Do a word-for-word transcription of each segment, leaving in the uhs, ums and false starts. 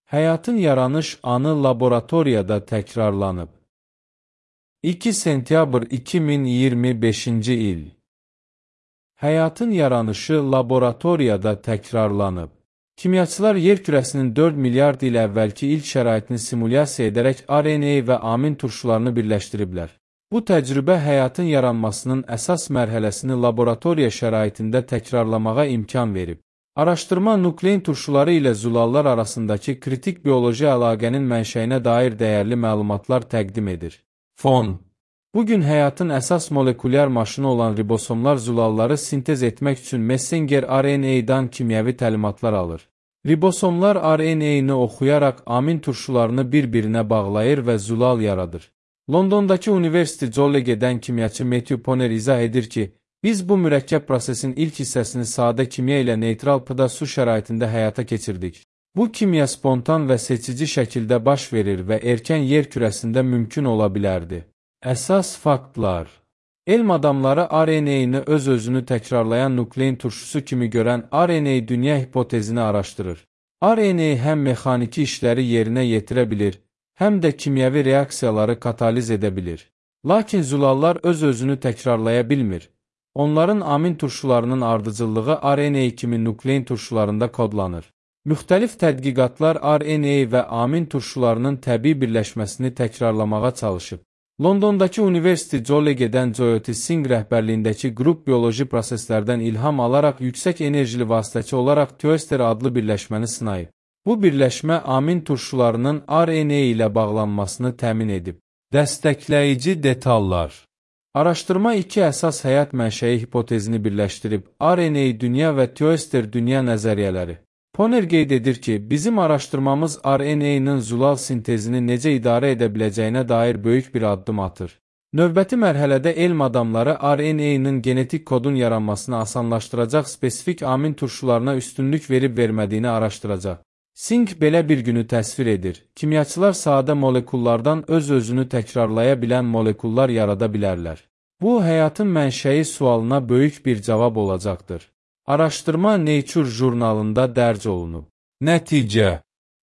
Həyatın yaranış anı laboratoriyada təkrarlanıb. iki sentyabr iki min iyirmi beşinci il. Həyatın yaranışı laboratoriyada təkrarlanıb. Kimyaçılar yer kürəsinin dörd milyard il əvvəlki ilk şəraitini simulyasiya edərək R N A və amin turşularını birləşdiriblər. Bu təcrübə həyatın yaranmasının əsas mərhələsini laboratoriya şəraitində təkrarlamağa imkan verib. Araşdırma nuklein turşuları ilə zulallar arasındakı kritik bioloji əlaqənin mənşəyinə dair dəyərli məlumatlar təqdim edir. Fon. Bugün həyatın əsas molekulyar maşını olan ribosomlar zulalları sintez etmək üçün messenger R N A-dan kimyəvi təlimatlar alır. Ribosomlar R N A-nı oxuyaraq amin turşularını bir-birinə bağlayır və zulal yaradır. Londondakı University College-dən kimyaçı Matthew Poner izah edir ki, biz bu mürəkkəb prosesin ilk hissəsini sadə kimya ilə neytral pıda su şəraitində həyata keçirdik. Bu kimya spontan və seçici şəkildə baş verir və erkən yer kürəsində mümkün ola bilərdi. Əsas faktlar. Elm adamları R N A-nı öz-özünü təkrarlayan nuklein turşusu kimi görən R N A dünya hipotezini araşdırır. R N A həm mexaniki işləri yerinə yetirə bilir, həm də kimyəvi reaksiyaları kataliz edə bilir. Lakin zulallar öz-özünü təkrarlaya bilmir. Onların amin turşularının ardıcıllığı R N A kimi nuklein turşularında kodlanır. Müxtəlif tədqiqatlar R N A və amin turşularının təbii birləşməsini təkrarlamağa çalışıb. Londondakı University College-dən Jyoti Singh rəhbərliyindəki qrup bioloji proseslərdən ilham alaraq yüksək enerjili vasitəçi olaraq Tioester adlı birləşməni sınayıb. Bu birləşmə amin turşularının R N A ilə bağlanmasını təmin edib. Dəstəkləyici detallar. Araşdırma iki əsas həyat mənşəyi hipotezini birləşdirib, R N A dünya və Tioester dünya nəzəriyyələri. Poner qeyd edir ki, bizim araşdırmamız R N A-nın zulal sintezini necə idarə edə biləcəyinə dair böyük bir addım atır. Növbəti mərhələdə elm adamları R N A-nın genetik kodun yaranmasını asanlaşdıracaq spesifik amin turşularına üstünlük verib vermədiyini araşdıracaq. Singh belə bir günü təsvir edir. Kimyaçılar sadə molekullardan öz-özünü təkrarlaya bilən molekullar yarada bilərlər. Bu, həyatın mənşəyi sualına böyük bir cavab olacaqdır. Araşdırma Nature jurnalında dərc olunub. Nəticə.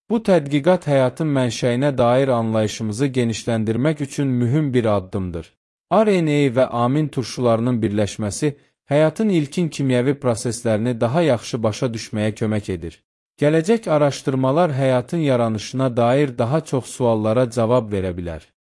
Bu tədqiqat həyatın mənşəyinə dair anlayışımızı genişləndirmək üçün mühüm bir addımdır. R N A və amin turşularının birləşməsi həyatın ilkin kimyəvi proseslərini daha yaxşı başa düşməyə kömək edir. Gələcək araşdırmalar həyatın yaranışına dair daha çox suallara cavab verə bilər.